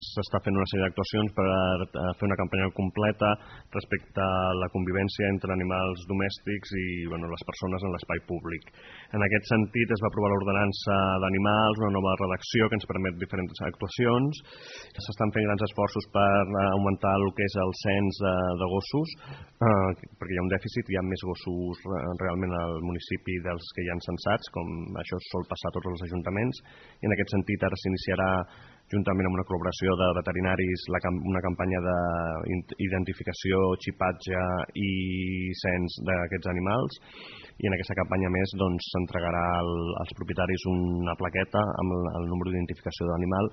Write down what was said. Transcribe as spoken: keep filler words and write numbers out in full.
s'està fent una sèrie d'actuacions per fer una campanya completa respecte a la convivència entre animals domèstics i bueno, les persones en l'espai públic. En aquest sentit es va aprovar l'ordenança d'animals, una nova redacció que ens permet diferents actuacions. S'estan fent grans esforços per augmentar el que és el cens de gossos, eh, perquè hi ha un dèficit, hi ha més gossos realment al municipi dels que hi ha censats, com això sol passar a tots els ajuntaments, i en aquest sentit ara s'iniciarà juntament amb una col·laboració de veterinaris una campanya d'identificació, xipatge i cens d'aquests animals, i en aquesta campanya més s'entregarà als propietaris una plaqueta amb el número d'identificació de l'animal